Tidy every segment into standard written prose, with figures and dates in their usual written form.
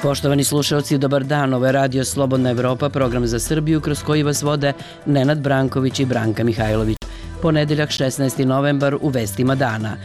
Poštovani slušalci, dobar dan. Ovo je Radio Slobodna Evropa, program za Srbiju kroz koji vas vode Nenad Branković i Branka Mihajlović. Ponedeljak 16. novembar u vestima dana.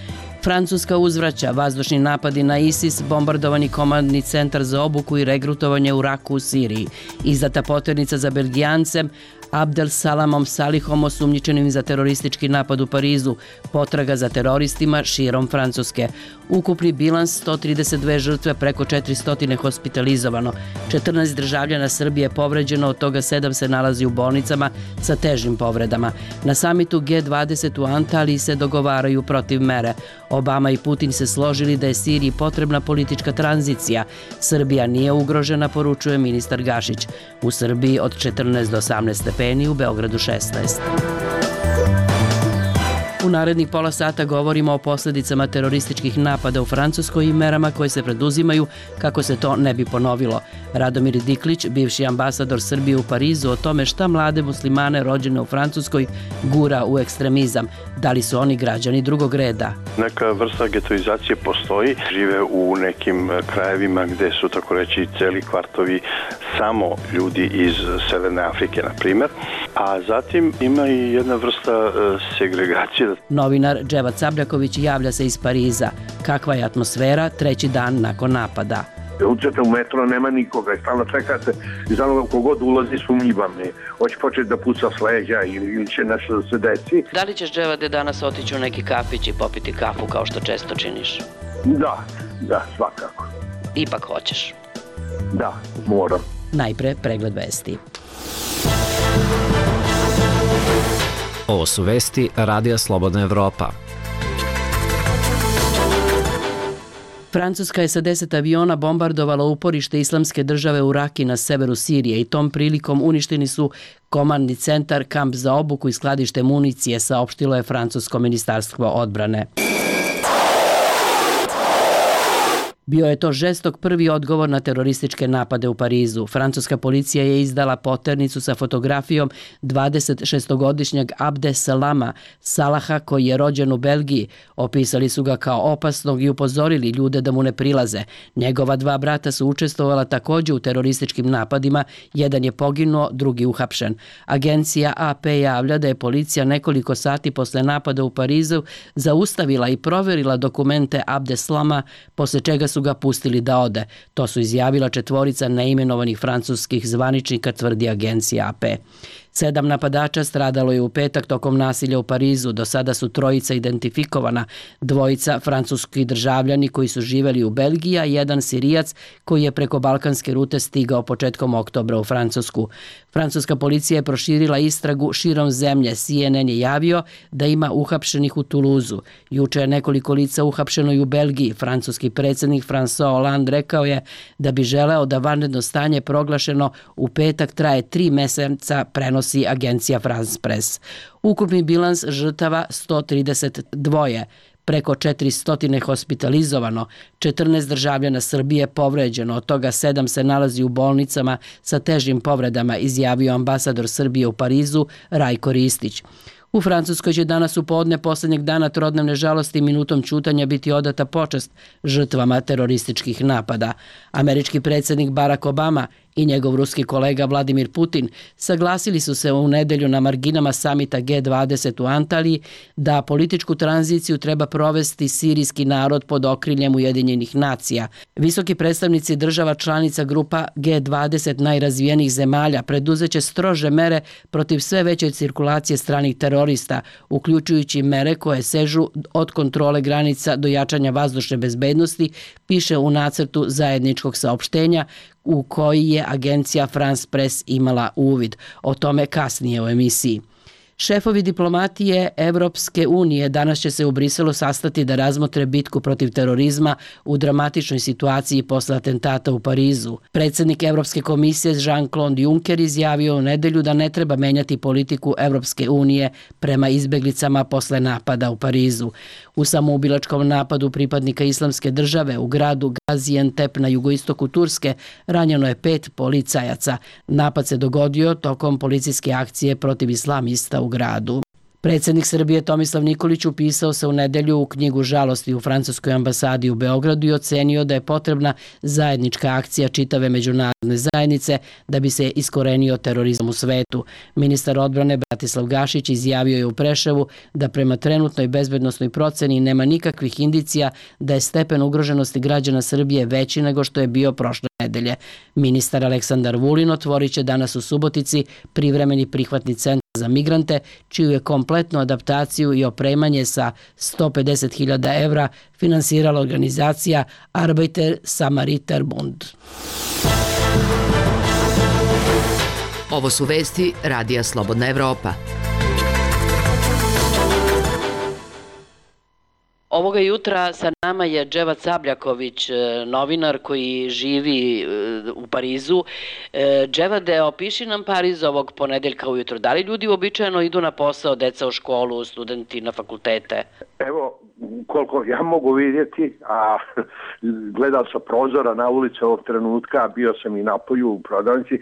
Francuska uzvraća vazdušni napadi na ISIS, bombardovani komandni centar za obuku i regrutovanje u Raku u Siriji. Izdata poternica za Belgijancem Abdel Salamom Salihom osumnjičenim za teroristički napad u Parizu, potraga za teroristima širom Francuske. Ukupni bilans 132 žrtve, preko 400 hospitalizovano. 14 državljana Srbije povređeno, od toga 7 se nalazi u bolnicama sa težim povredama. Na samitu G20 u Antaliji se dogovaraju protiv mere. Obama i Putin se složili da je Siriji potrebna politička tranzicija. Srbija nije ugrožena, poručuje ministar Gašić. U Srbiji od 14 do 18 stepeni, u Beogradu 16. U narednih pola sata govorimo o posljedicama terorističkih napada u Francuskoj i merama koje se preduzimaju kako se to ne bi ponovilo. Radomir Diklić, bivši ambasador Srbije u Parizu, o tome šta mlade muslimane rođene u Francuskoj gura u ekstremizam. Da li su oni građani drugog reda? Neka vrsta getoizacije postoji. Žive u nekim krajevima gde su, tako reći, celi kvartovi samo ljudi iz Severne Afrike, na primjer. A zatim ima i jedna vrsta segregacije. Novinar Dževad Sabljaković javlja se iz Pariza. Kakva je atmosfera treći dan nakon napada? Uđete u metro, nema nikoga i stalno čekate i stalno kogod ulazi sumnjivan je. Hoće početi da puca s leđa ili će nešto da se desi. Da li ćeš, Dževade, danas otići u neki kafić i popiti kafu kao što često činiš? Da, svakako. Ipak hoćeš? Da, moram. Najpre pregled vesti. Ovo su vesti Radija Slobodna Evropa. Francuska je sa 10 aviona bombardovala uporište Islamske države u Raki na severu Sirije i tom prilikom uništeni su komandni centar, kamp za obuku i skladište municije, saopštilo je francusko ministarstvo odbrane. Bio je to žestok prvi odgovor na terorističke napade u Parizu. Francuska policija je izdala poternicu sa fotografijom 26-godišnjeg Abde Salama Salaha, koji je rođen u Belgiji. Opisali su ga kao opasnog i upozorili ljude da mu ne prilaze. Njegova 2 brata su učestvovala također u terorističkim napadima. Jedan je poginuo, drugi uhapšen. Agencija AP javlja da je policija nekoliko sati posle napada u Parizu zaustavila i proverila dokumente Abde Salama, posle čega su ga pustili da ode. To su izjavila 4 neimenovanih francuskih zvaničnika, tvrdi agencija AP. 7 napadača stradalo je u petak tokom nasilja u Parizu. Do sada su 3 identifikovana, 2 francuski državljani koji su živeli u Belgiji, a 1 Sirijac koji je preko balkanske rute stigao početkom oktobra u Francusku. Francuska policija je proširila istragu širom zemlje. CNN je javio da ima uhapšenih u Tuluzu. Juče je nekoliko lica uhapšeno i u Belgiji. Francuski predsjednik François Hollande rekao je da bi želeo da vanredno stanje proglašeno u petak traje 3 meseca, prenosi agencija France Press. Ukupni bilans žrtava 132, preko 400 hospitalizovano, 14 državljana Srbije povređeno, od toga 7 se nalazi u bolnicama sa težim povredama, izjavio ambasador Srbije u Parizu Rajko Ristić. U Francuskoj će danas u podne posljednjeg dana trodnevne žalosti minutom ćutanja biti odata počast žrtvama terorističkih napada. Američki predsjednik Barack Obama i njegov ruski kolega Vladimir Putin saglasili su se u nedelju na marginama samita G20 u Antaliji da političku tranziciju treba provesti sirijski narod pod okriljem Ujedinjenih nacija. Visoki predstavnici država članica grupa G20 najrazvijenijih zemalja preduzeće strože mere protiv sve veće cirkulacije stranih terorista, uključujući mere koje sežu od kontrole granica do jačanja vazdušne bezbednosti, piše u nacrtu zajedničkog saopštenja u koji je agencija France Press imala uvid. O tome kasnije u emisiji. Šefovi diplomatije Evropske unije danas će se u Briselu sastati da razmotre bitku protiv terorizma u dramatičnoj situaciji posle atentata u Parizu. Predsjednik Evropske komisije Jean-Claude Juncker izjavio u nedelju da ne treba menjati politiku Evropske unije prema izbeglicama posle napada u Parizu. U samoubilačkom napadu pripadnika Islamske države u gradu Gaziantep na jugoistoku Turske ranjeno je 5 policajaca. Napad se dogodio tokom policijske akcije protiv islamista u gradu. Predsjednik Srbije Tomislav Nikolić upisao se u nedelju u knjigu žalosti u francuskoj ambasadi u Beogradu i ocenio da je potrebna zajednička akcija čitave međunarodne zajednice da bi se iskorenio terorizam u svetu. Ministar odbrane Bratislav Gašić izjavio je u Preševu da prema trenutnoj bezbednosnoj proceni nema nikakvih indicija da je stepen ugroženosti građana Srbije veći nego što je bio prošle nedelje. Ministar Aleksandar Vulin otvorit će danas u Subotici privremeni prihvatni centar za migrante, čiju je kompletnu adaptaciju i opremanje sa 150.000 evra finansirala organizacija Arbeiter Samariter Bund. Ovo su vesti Radija Slobodna Evropa. Ovoga jutra sa nama je Dževad Sabljaković, novinar koji živi u Parizu. Dževade, opiši nam Pariz ovog ponedeljka ujutro. Da li ljudi uobičajeno idu na posao, deca u školu, studenti na fakultete? Evo, koliko ja mogu vidjeti, a gledao sam prozora na ulici ovog trenutka, bio sam i napolju u prodavnici,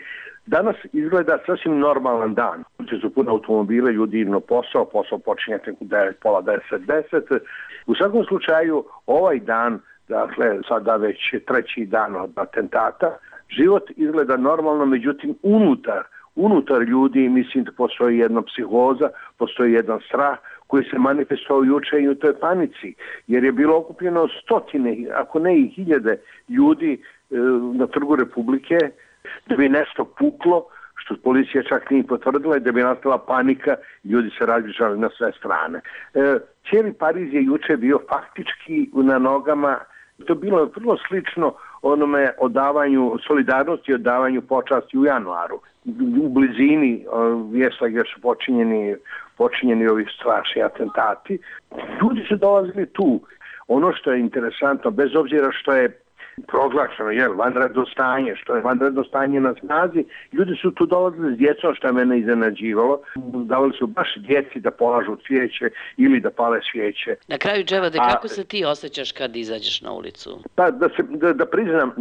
danas izgleda sasvim normalan dan. Ljudi su puno automobile, ljudi idu na posao počinje u 9, pola 10. U svakom slučaju, ovaj dan, dakle, sada već treći dan od atentata, život izgleda normalno, međutim, unutar ljudi, mislim da postoji jedna psihoza, postoji jedan strah koji se manifestovao juče i u toj panici, jer je bilo okupljeno stotine, ako ne i hiljade ljudi na Trgu Republike, da bi nešto puklo, što policija čak nije potvrdila, i da bi nastala panika, ljudi se razbježali na sve strane. Cijeli Pariz je juče bio faktički na nogama. To bilo vrlo slično onome odavanju solidarnosti i odavanju počasti u januaru. U blizini mjesta gdje su počinjeni ovi strašni atentati. Ljudi su dolazili tu. Ono što je interesantno, bez obzira što je proglašeno, vanredno stanje, što je vanredno stanje na snazi, ljudi su tu dolazili s djecom, što je mene iznenađivalo. Davali su baš djeci da polažu cvijeće ili da pale svijeće. Na kraju, Dževade, kako se ti osjećaš kad izađeš na ulicu? Da priznam,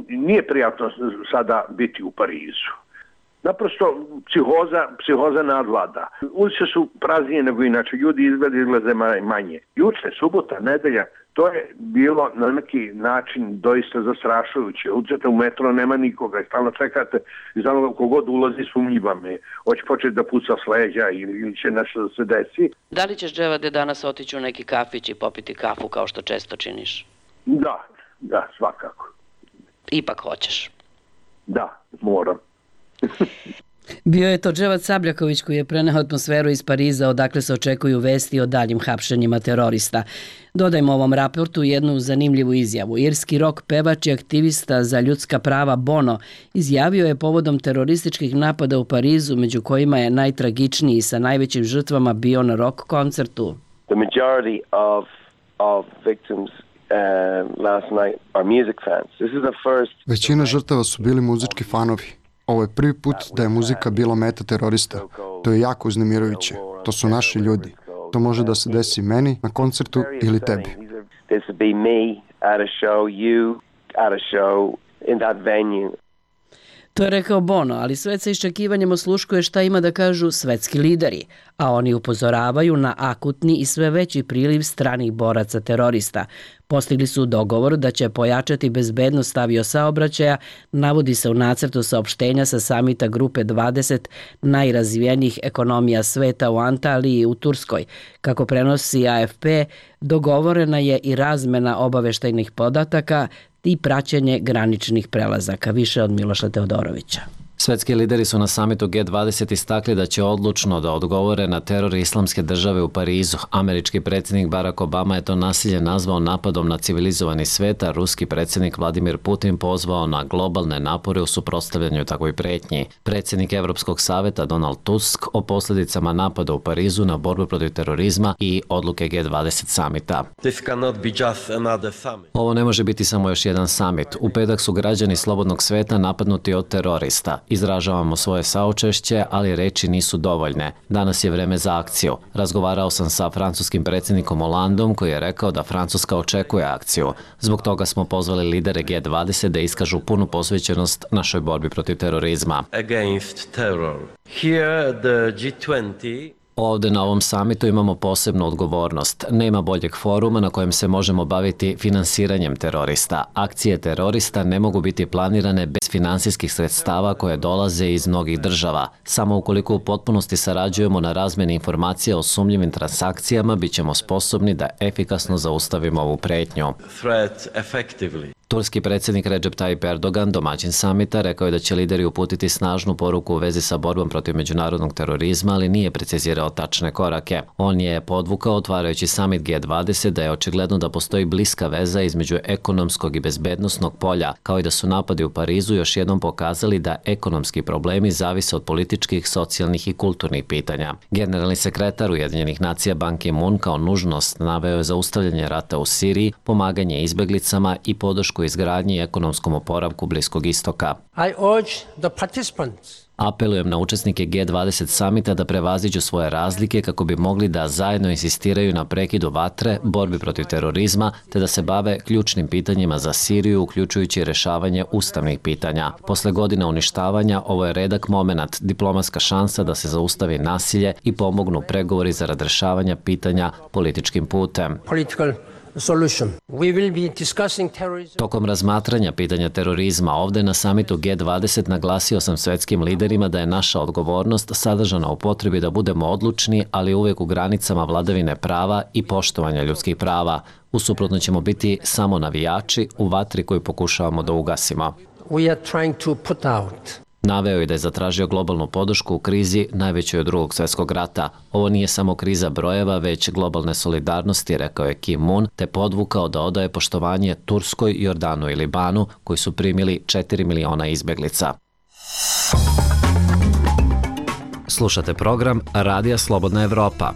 nije prijatno sada biti u Parizu. Naprosto psihoza nadvlada. Ulice su praznije nego inače, ljudi izglede manje. Juče, subota, nedelja, to je bilo na neki način doista zastrašujuće. Uđete u metro, nema nikoga i stalno čekate i znamo kogod ulazi sumnjiva me. Hoće početi da puca s leđa ili će nešto da se desi. Da li ćeš, Dževade, danas otići u neki kafić i popiti kafu kao što često činiš? Da, svakako. Ipak hoćeš? Da, moram. Bio je to Dževad Sabljaković koji je preneo atmosferu iz Pariza odakle se očekuju vesti o daljim hapšenjima terorista. Dodajmo ovom raportu jednu zanimljivu izjavu. Irski rock pevač i aktivista za ljudska prava Bono izjavio je povodom terorističkih napada u Parizu, među kojima je najtragičniji sa najvećim žrtvama bio na rock koncertu. The majority of victims last night are music fans. This is the first. Većina žrtava su bili muzički fanovi. Ovo je prvi put da je muzika bila meta terorista. To je jako uznemirujuće. To su naši ljudi. To može da se desi meni na koncertu ili tebi. This would be me at a show, you at a show in that venue. To je rekao Bono, ali svet sa iščekivanjem osluškuje šta ima da kažu svetski lideri, a oni upozoravaju na akutni i sve veći priliv stranih boraca terorista. Postigli su dogovor da će pojačati bezbednost aviosaobraćaja, navodi se u nacrtu saopštenja sa samita grupe 20 najrazvijenijih ekonomija sveta u Antaliji u Turskoj. Kako prenosi AFP, dogovorena je i razmena obaveštajnih podataka i praćenje graničnih prelazaka. Više od Miloša Teodorovića. Svetski lideri su na samitu G20 istakli da će odlučno da odgovore na teror Islamske države u Parizu. Američki predsjednik Barack Obama je to nasilje nazvao napadom na civilizovani svet, a ruski predsjednik Vladimir Putin pozvao na globalne napore u suprotstavljanju takvoj pretnji. Predsjednik Evropskog saveta Donald Tusk o posljedicama napada u Parizu na borbu protiv terorizma i odluke G20 samita. Ovo ne može biti samo još jedan samit. U petak su građani slobodnog sveta napadnuti od terorista. Izražavamo svoje saučešće, ali reči nisu dovoljne. Danas je vreme za akciju. Razgovarao sam sa francuskim predsjednikom Hollandom koji je rekao da Francuska očekuje akciju. Zbog toga smo pozvali lidere G20 da iskažu punu posvećenost našoj borbi protiv terorizma. Ovde na ovom samitu imamo posebnu odgovornost. Nema boljeg foruma na kojem se možemo baviti finansiranjem terorista. Akcije terorista ne mogu biti planirane bez finansijskih sredstava koje dolaze iz mnogih država. Samo ukoliko u potpunosti sarađujemo na razmeni informacija o sumnjivim transakcijama, bit ćemo sposobni da efikasno zaustavimo ovu pretnju. Turski predsjednik Recep Tayyip Erdogan, domaćin samita, rekao je da će lideri uputiti snažnu poruku u vezi sa borbom protiv međunarodnog terorizma, ali nije precizirao tačne korake. On je podvukao, otvarajući samit G20, da je očigledno da postoji bliska veza između ekonomskog i bezbednosnog polja, kao i da su napadi u Parizu još jednom pokazali da ekonomski problemi zavise od političkih, socijalnih i kulturnih pitanja. Generalni sekretar Ujedinjenih nacija Ban Ki-moon kao nužnost naveo je zaustavljanje rata u Siriji, pomaganje izbeglicama i podršku izgradnji i ekonomskom oporavku Bliskog istoka. Apelujem na učesnike G20 samita da prevaziđu svoje razlike kako bi mogli da zajedno insistiraju na prekidu vatre, borbi protiv terorizma, te da se bave ključnim pitanjima za Siriju, uključujući rešavanje ustavnih pitanja. Posle godina uništavanja, ovo je redak momenat, diplomatska šansa da se zaustavi nasilje i pomognu pregovori zarad rešavanja pitanja političkim putem. Tokom razmatranja pitanja terorizma ovde na samitu G20 naglasio sam svetskim liderima da je naša odgovornost sadržana u potrebi da budemo odlučni, ali uvek u granicama vladavine prava i poštovanja ljudskih prava. Usuprotno ćemo biti samo navijači u vatri koju pokušavamo da ugasimo. Naveo je da je zatražio globalnu podršku u krizi najvećoj od Drugog svjetskog rata. Ovo nije samo kriza brojeva, već globalne solidarnosti, rekao je Kim Moon, te podvukao da odaje poštovanje Turskoj, Jordanu i Libanu, koji su primili 4 miliona izbeglica. Slušate program Radija Slobodna Evropa.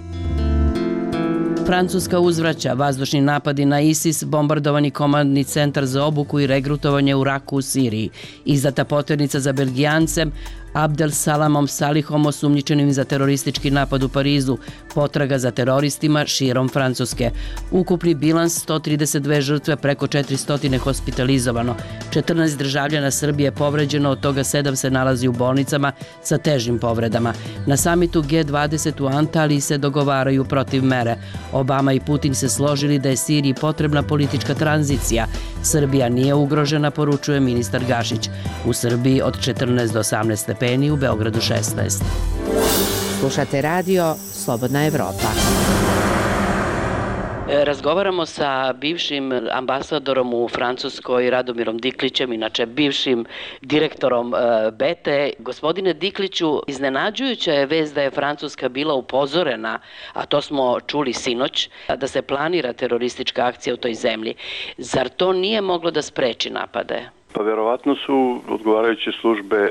Francuska uzvraća vazdušni napadi na ISIS, bombardovani komandni centar za obuku i regrutovanje u Raku u Siriji. Izdata poternica za Belgijancem Abdel Salamom Salihom, osumnjičenim za teroristički napad u Parizu, potraga za teroristima širom Francuske. Ukupni bilans 132 žrtve, preko 400 hospitalizovano. 14 državljana Srbije povređeno, od toga 7 se nalazi u bolnicama sa težim povredama. Na samitu G20 u Antaliji se dogovaraju protiv mere. Obama i Putin se složili da je Siriji potrebna politička tranzicija. Srbija nije ugrožena, poručuje ministar Gašić. U Srbiji od 14 do 18 stepeni, u Beogradu 16. Slušate radio Slobodna Evropa. Razgovaramo sa bivšim ambasadorom u Francuskoj Radomirom Diklićem, inače bivšim direktorom BETE. Gospodine Dikliću, iznenađujuća je vest da je Francuska bila upozorena, a to smo čuli sinoć, da se planira teroristička akcija u toj zemlji. Zar to nije moglo da spreči napade? Pa verovatno su odgovarajuće službe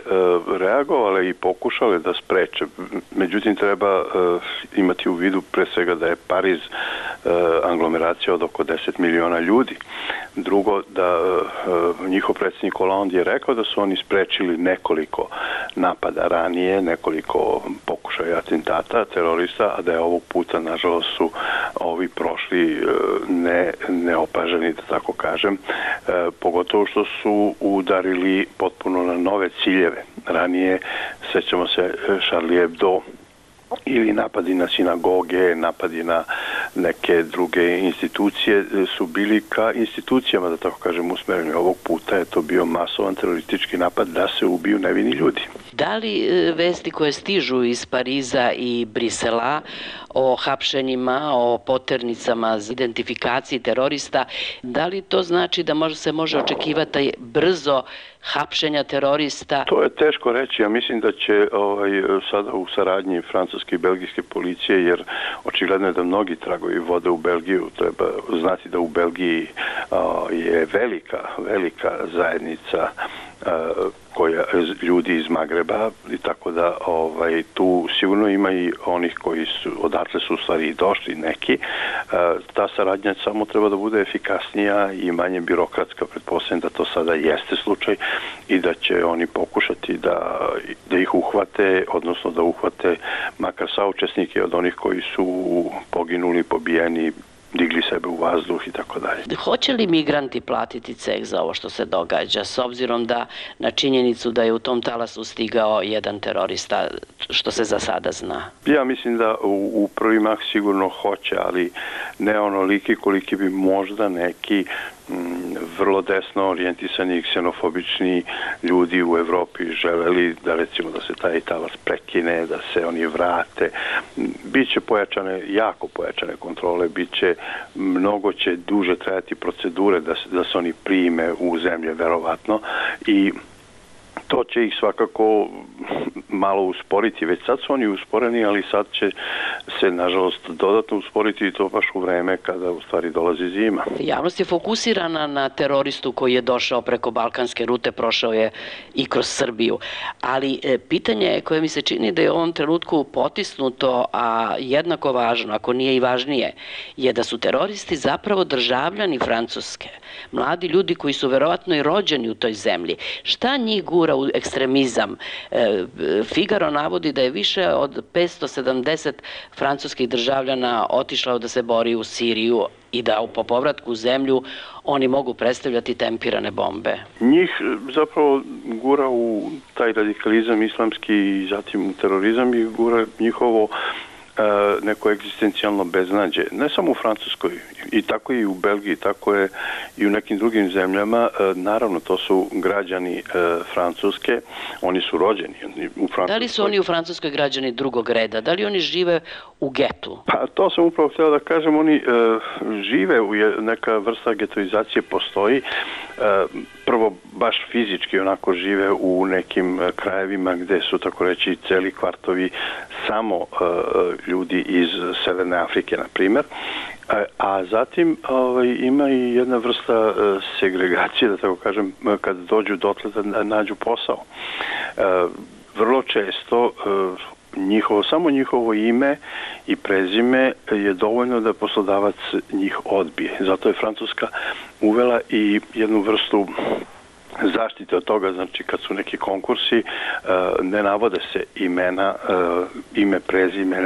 reagovale i pokušale da spreče. Međutim, treba imati u vidu pre svega da je Pariz aglomeracija od oko 10 miliona ljudi. Drugo, da njihov predsjednik Hollande je rekao da su oni sprečili nekoliko napada ranije, nekoliko pokušaja atentata terorista, a da je ovog puta, nažalost, su ovi prošli neopaženi, da tako kažem, pogotovo što su udarili potpuno na nove ciljeve. Ranije, sećamo se, Charlie Hebdo ili napadi na sinagoge, napadi na neke druge institucije su bili ka institucijama, da tako kažem, usmereni. Ovog puta je to bio masovan teroristički napad da se ubiju nevini ljudi. Da li vesti koje stižu iz Pariza i Brisela o hapšenjima, o poternicama za identifikaciji terorista, da li to znači da se može očekivati brzo hapšenja terorista? To je teško reći. Ja mislim da će sada u saradnji francuske i belgijske policije, jer očigledno je da mnogi tragovi vode u Belgiju. Treba znati da u Belgiji je velika zajednica koja ljudi iz Magreba, i tako da tu sigurno ima i onih koji su odatle su u stvari i došli neki. Ta saradnja samo treba da bude efikasnija i manje birokratska. Pretpostavljam da to sada jeste slučaj i da će oni pokušati da ih uhvate, odnosno da uhvate makar saučesnike od onih koji su poginuli, pobijeni digli sebe u vazduh i tako dalje. Hoće li migranti platiti ceh za ovo što se događa, s obzirom da na činjenicu da je u tom talasu stigao jedan terorista, što se za sada zna? Ja mislim da u prvi mah sigurno hoće, ali ne onoliki koliki bi možda neki vrlo desno orijentisani i ksenofobični ljudi u Evropi želeli da recimo da se taj talas prekine, da se oni vrate. Biće pojačane, jako pojačane kontrole, mnogo će duže trajati procedure da se oni prime u zemlje verovatno i to će ih svakako malo usporiti. Već sad su oni usporeni, ali sad će se, nažalost, dodatno usporiti i to baš u vreme kada u stvari dolazi zima. Javnost je fokusirana na teroristu koji je došao preko balkanske rute, prošao je i kroz Srbiju. Ali pitanje koje mi se čini da je u ovom trenutku potisnuto, a jednako važno, ako nije i važnije, je da su teroristi zapravo državljani Francuske. Mladi ljudi koji su verovatno i rođeni u toj zemlji. Šta njih gura u ekstremizam? Figaro navodi da je više od 570 francuskih državljana otišlo da se bori u Siriju i da po povratku u zemlju oni mogu predstavljati tempirane bombe. Njih zapravo gura u taj radikalizam islamski i zatim u terorizam i gura njihovo neko egzistencijalno beznađe. Ne samo u Francuskoj, i tako i u Belgiji, tako je i u nekim drugim zemljama. Naravno, to su građani Francuske, oni su rođeni u Francuskoj. Da li su oni u Francuskoj građani drugog reda? Da li oni žive u getu? Pa to sam upravo htio da kažem, oni žive, neka vrsta getoizacije postoji. Prvo, baš fizički onako žive u nekim krajevima gde su, tako reći, celi kvartovi samo ljudi iz Severne Afrike, na primjer. A zatim ima i jedna vrsta segregacije, da tako kažem, kad dođu dotle da nađu posao. Vrlo često samo njihovo ime i prezime je dovoljno da poslodavac njih odbije. Zato je Francuska uvela i jednu vrstu zaštite od toga, znači kad su neki konkursi, ne navode se imena, ime, prezime,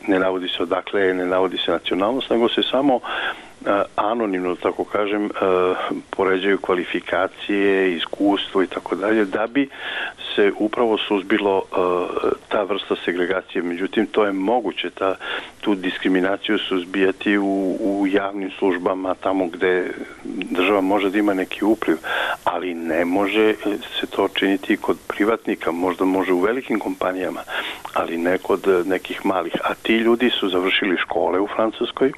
ne navodi se odakle, ne navodi se nacionalnost, nego se samo anonimno, tako kažem, poređaju kvalifikacije, iskustvo i tako dalje, da bi se upravo suzbilo ta vrsta segregacije. Međutim, to je moguće, tu diskriminaciju suzbijati u javnim službama, tamo gde država može da ima neki upliv, ali ne može se to činiti kod privatnika, možda može u velikim kompanijama, ali ne kod nekih malih. A ti ljudi su završili škole u Francuskoj,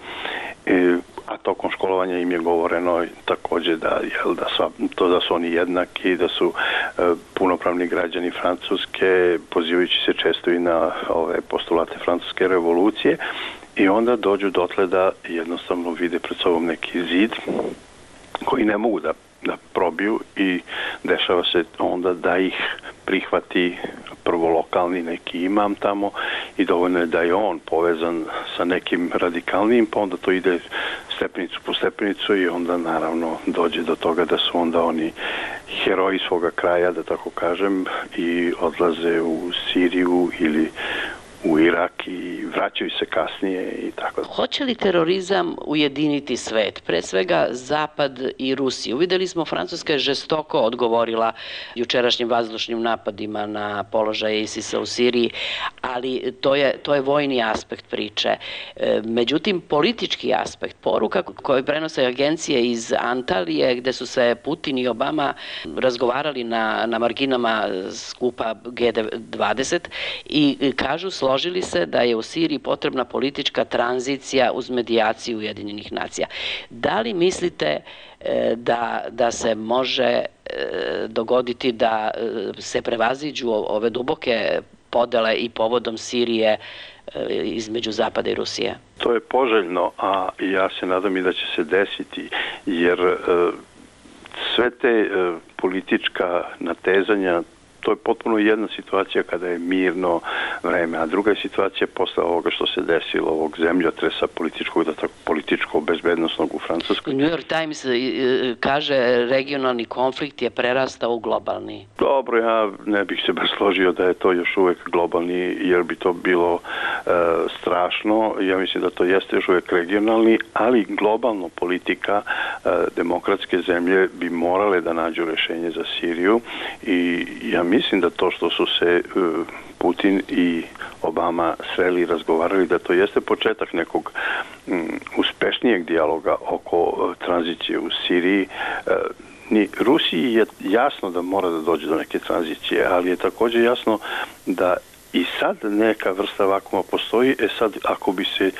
a tokom školovanja im je govoreno takođe da su oni jednaki, da su punopravni građani Francuske, pozivajući se često i na ove postulate francuske revolucije, i onda dođu dotle da jednostavno vide pred sobom neki zid koji ne mogu da probiju i dešava se onda da ih prihvati prvo lokalni neki imam tamo i dovoljno je da je on povezan sa nekim radikalnijim, pa onda to ide stepenicu po stepenicu i onda naravno dođe do toga da su onda oni heroji svoga kraja, da tako kažem, i odlaze u Siriju ili u Irak i vraćaju se kasnije i tako. Hoće li terorizam ujediniti svet, pre svega Zapad i Rusiju? Uvideli smo, Francuska je žestoko odgovorila jučerašnjim vazdušnim napadima na položaje ISIS-a u Siriji, ali to je vojni aspekt priče. Međutim, politički aspekt, poruka koju prenose agencije iz Antalije, gde su se Putin i Obama razgovarali na marginama skupa G20 i kažu, složili se da je u Siriji potrebna politička tranzicija uz medijaciju Ujedinjenih nacija. Da li mislite da se može dogoditi da se prevaziđu ove duboke podele i povodom Sirije između Zapada i Rusije? To je poželjno, a ja se nadam i da će se desiti, jer sve te politička natezanja, to je potpuno jedna situacija kada je mirno, vreme. A druga je situacija posle ovoga što se desilo, ovog zemljotresa političko-bezbednostnog u Francuskoj. New York Times kaže regionalni konflikt je prerastao u globalni. Dobro, ja ne bih se baš složio da je to još uvek globalni, jer bi to bilo strašno. Ja mislim da to jeste još uvek regionalni, ali globalno politika demokratske zemlje bi morale da nađu rešenje za Siriju i ja mislim da to što su se Putin i Obama sreli i razgovarali, da to jeste početak nekog uspešnijeg dijaloga oko tranzicije u Siriji. Ni Rusiji je jasno da mora da dođe do neke tranzicije, ali je također jasno da i sad neka vrsta vakuma postoji. Sad ako bi se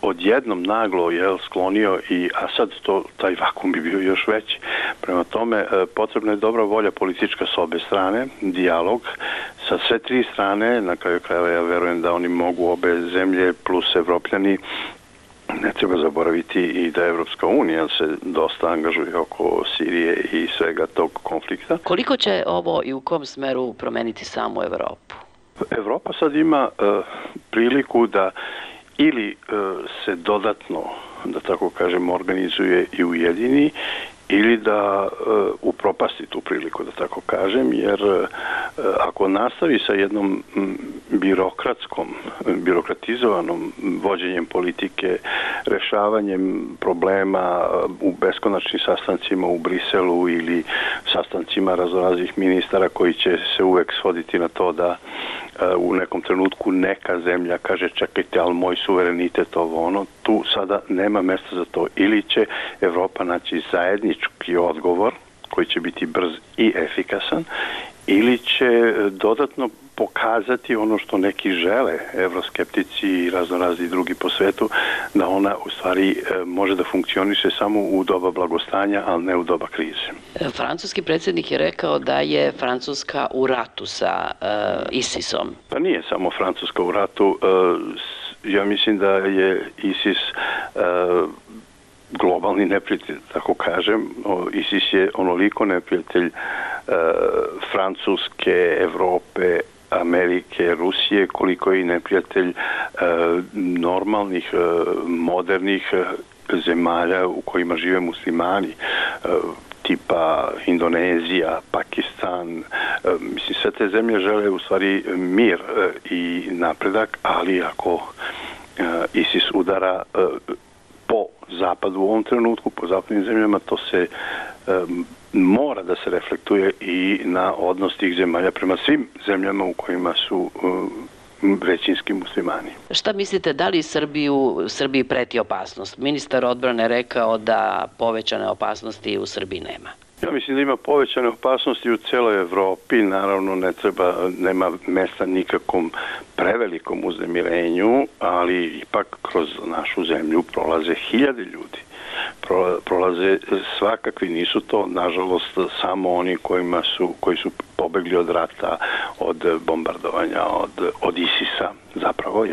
odjednom naglo sklonio i Asad, taj vakum bi bio još veći. Prema tome, potrebna je dobra volja politička s obe strane, dijalog sa sve tri strane. Na kraju krajeva ja verujem da oni mogu, obe zemlje plus Evropljani. Ne treba zaboraviti i da Evropska unija se dosta angažuje oko Sirije i svega tog konflikta. Koliko će ovo i u kom smeru promeniti samu Evropu? Evropa sad ima priliku da ili se dodatno, da tako kažem, organizuje i ujedini, ili da upropasti tu priliku, da tako kažem, jer ako nastavi sa jednom birokratizovanom vođenjem politike, rešavanjem problema u beskonačnim sastancima u Briselu ili sastancima raznoraznih ministara koji će se uvek svoditi na to da u nekom trenutku neka zemlja kaže čekajte, ali moj suverenitet ovo ono, tu sada nema mesta za to. Ili će Evropa naći zajednički odgovor koji će biti brz i efikasan, ili će dodatno pokazati ono što neki žele, evroskeptici i raznorazni drugi po svetu, da ona u stvari može da funkcioniše samo u doba blagostanja, ali ne u doba krize. Francuski predsjednik je rekao da je Francuska u ratu sa ISIS-om. Pa nije samo Francuska u ratu. Ja mislim da je ISIS globalni neprijatelj, tako kažem. ISIS je onoliko neprijatelj Francuske, Evrope, Amerike, Rusije, koliko je i neprijatelj normalnih, modernih zemalja u kojima žive muslimani, tipa Indonezija, Pakistan. Mislim, sve te zemlje žele u stvari mir i napredak, ali ako ISIS udara po zapadu u ovom trenutku, po zapadnim zemljama, to se mora da se reflektuje i na odnos tih zemalja prema svim zemljama u kojima su većinski muslimani. Šta mislite, da li Srbiji preti opasnost? Ministar odbrane je rekao da povećane opasnosti u Srbiji nema. Ja mislim da ima povećane opasnosti u celoj Evropi, naravno nema mesta nikakvom prevelikom uznemirenju, ali ipak kroz našu zemlju prolaze hiljade ljudi. Prolaze svakakvi, nisu to nažalost samo oni koji su pobegli od rata, od bombardovanja, od ISIS-a zapravo,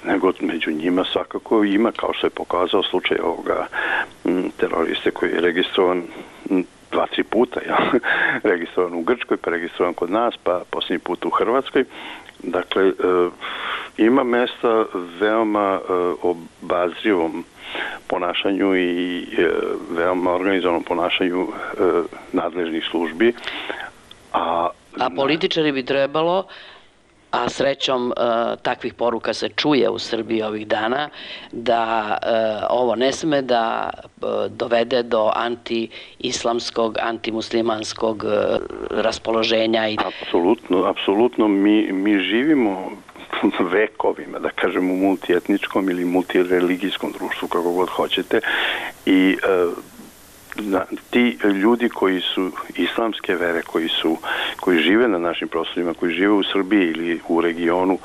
nego među njima svakako ima, kao što je pokazao slučaj ovoga teroriste koji je registrovan 2-3 puta, registrovan u Grčkoj, pa registrovan kod nas, pa posljednji put u Hrvatskoj. Dakle, ima mesta veoma obazrivom ponašanju i veoma organizovanom ponašanju nadležnih službi. A političari bi trebalo, a srećom takvih poruka se čuje u Srbiji ovih dana, da ovo ne sme da dovede do anti-islamskog, antimuslimanskog raspoloženja. Apsolutno. Mi živimo vekovima, da kažem, u multietničkom ili multireligijskom društvu, kako god hoćete, i ti ljudi koji su islamske vere, koji žive na našim prostorima, koji žive u Srbiji ili u regionu,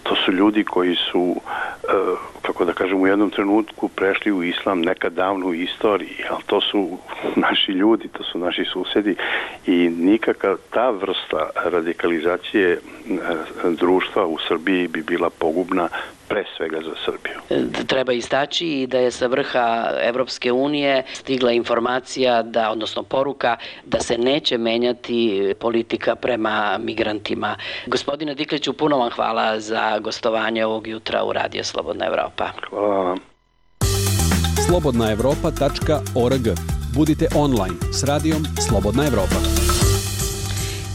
to su ljudi koji su, kako da kažem, u jednom trenutku prešli u islam nekad davno u istoriji, ali to su naši ljudi, to su naši susedi i nikakva ta vrsta radikalizacije društva u Srbiji bi bila pogubna pre svega za Srbiju. Treba istaći i da je sa vrha Evropske unije stigla informacija odnosno poruka da se neće menjati politika prema migrantima. Gospodine Dikliću, puno vam hvala za gostovanje ovog jutra u Radio Slobodna Evropa. Hvala vam. slobodnaevropa.org. Budite online s radijom Slobodna Evropa.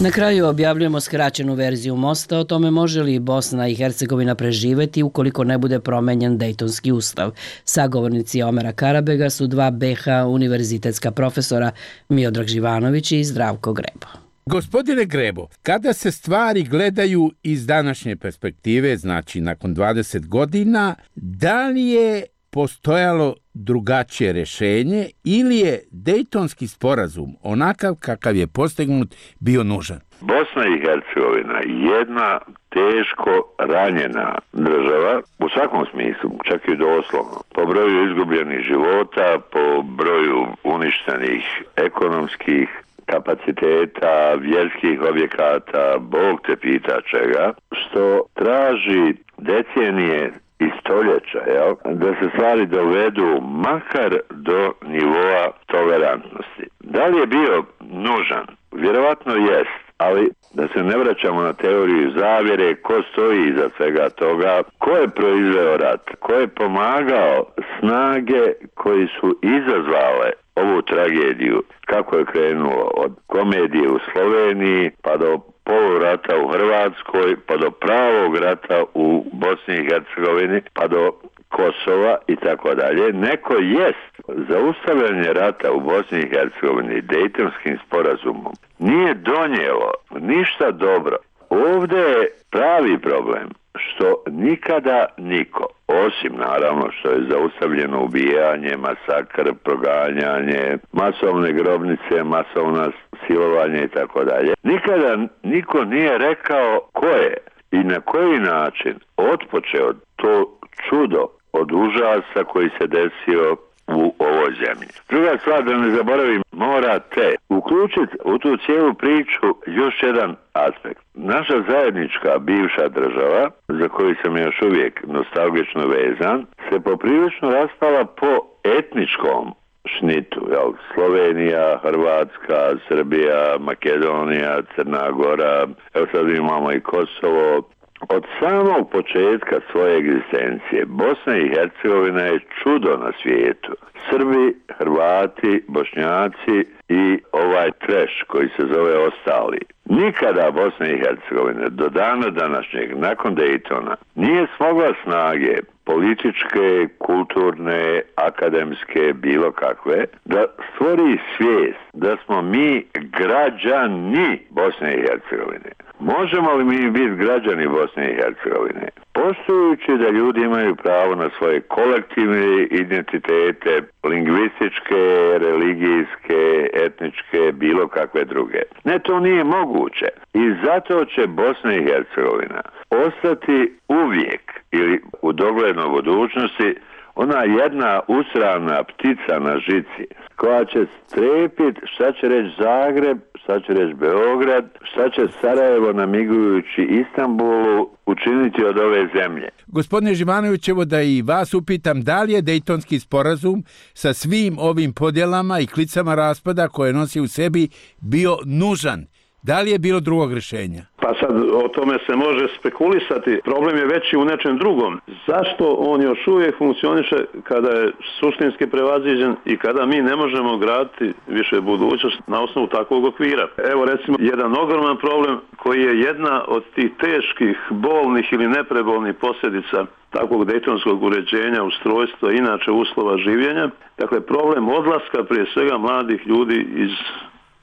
Na kraju objavljujemo skraćenu verziju mosta o tome može li Bosna i Hercegovina preživeti ukoliko ne bude promenjen Dejtonski ustav. Sagovornici Omera Karabega su dva BH univerzitetska profesora Miodrag Živanović i Zdravko Grebo. Gospodine Grebo, kada se stvari gledaju iz današnje perspektive, znači nakon 20 godina, da li je postojalo drugačije rješenje ili je Dejtonski sporazum onakav kakav je postignut bio nužan? Bosna i Hercegovina je jedna teško ranjena država u svakom smislu, čak i doslovno. Po broju izgubljenih života, po broju uništenih ekonomskih kapaciteta, vjerskih objekata, Bog te pita čega, što traži decenije i stoljeća, da se stvari dovedu makar do nivoa tolerantnosti. Da li je bio nužan? Vjerovatno jest, ali da se ne vraćamo na teoriju zavjere, ko stoji iza svega toga, ko je proizveo rat, ko je pomagao snage koji su izazvale ovu tragediju, kako je krenulo od komedije u Sloveniji pa do polurata u Hrvatskoj, pa do pravog rata u Bosni i Hercegovini, pa do Kosova i tako dalje. Neko jest zaustavljanje rata u Bosni i Hercegovini Dejtonskim sporazumom nije donijelo ništa dobro. Ovdje je pravi problem što nikada niko, osim naravno što je zaustavljeno ubijanje, masakr, proganjanje, masovne grobnice, masovna silovanje i tako dalje, nikada niko nije rekao ko je i na koji način otpočeo to čudo od užasa koji se desio u ovoj zemlji. Druga stvar, da ne zaboravim, morate uključiti u tu cijelu priču još jedan aspekt. Naša zajednička bivša država, za koju sam još uvijek nostalgično vezan, se poprilično raspala po etničkom šnitu. Slovenija, Hrvatska, Srbija, Makedonija, Crna Gora, evo sad imamo i Kosovo. Od samog početka svoje egzistencije Bosna i Hercegovina je čudo na svijetu. Srbi, Hrvati, Bošnjaci i ovaj treš koji se zove ostali. Nikada Bosna i Hercegovina do dana današnjeg, nakon Dejtona, nije smogla snage političke, kulturne, akademske, bilo kakve, da stvori svijest da smo mi građani Bosne i Hercegovine. Možemo li mi biti građani Bosne i Hercegovine? Poštujući da ljudi imaju pravo na svoje kolektivne identitete, lingvističke, religijske, etničke, bilo kakve druge. Ne, to nije moguće. I zato će Bosna i Hercegovina ostati uvijek ili u doglednoj budućnosti ona jedna usravna ptica na žici koja će strepiti šta će reći Zagreb, šta će reći Beograd, šta će Sarajevo namigujući Istanbulu učiniti od ove zemlje. Gospodine Živanović, evo da i vas upitam, da li je Dejtonski sporazum sa svim ovim podjelama i klicama raspada koje nosi u sebi bio nužan? Da li je bilo drugog rješenja? Pa sad o tome se može spekulisati. Problem je veći u nečem drugom. Zašto on još uvijek funkcioniše kada je suštinski prevaziđen i kada mi ne možemo graditi više budućnost na osnovu takvog okvira? Evo recimo jedan ogroman problem koji je jedna od tih teških, bolnih ili neprebolnih posljedica takvog dejtonskog uređenja, ustrojstva, inače uslova življenja. Dakle, problem odlaska prije svega mladih ljudi iz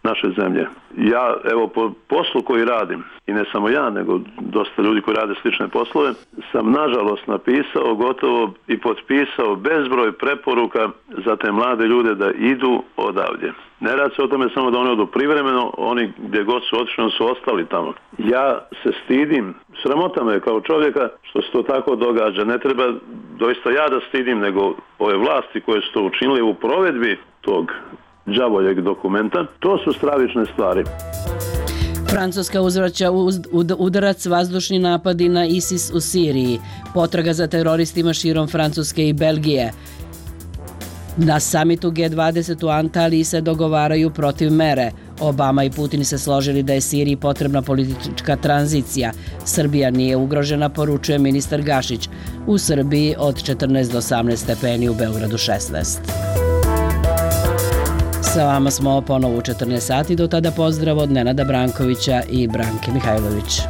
naše zemlje. Ja, evo, po poslu koji radim, i ne samo ja, nego dosta ljudi koji rade slične poslove, sam nažalost napisao gotovo i potpisao bezbroj preporuka za te mlade ljude da idu odavdje. Ne radi se o tome samo da oni odu privremeno, oni gdje god su otišli su ostali tamo. Ja se stidim, sramota me kao čovjeka što se to tako događa. Ne treba doista ja da stidim, nego ove vlasti koje su to učinili u provedbi tog đavoljeg dokumenta. To su stravične stvari. Francuska uzvraća udarac vazdušni napadi na ISIS u Siriji. Potraga za teroristima širom Francuske i Belgije. Na samitu G20 u Antaliji se dogovaraju protiv mere. Obama i Putin se složili da je Siriji potrebna politička tranzicija. Srbija nije ugrožena, poručuje ministar Gašić. U Srbiji od 14 do 18 stepeni, u Beogradu 16. Sa vama smo ponovo u 14 sati. Do tada pozdrav od Nenada Brankovića i Branke Mihajlović.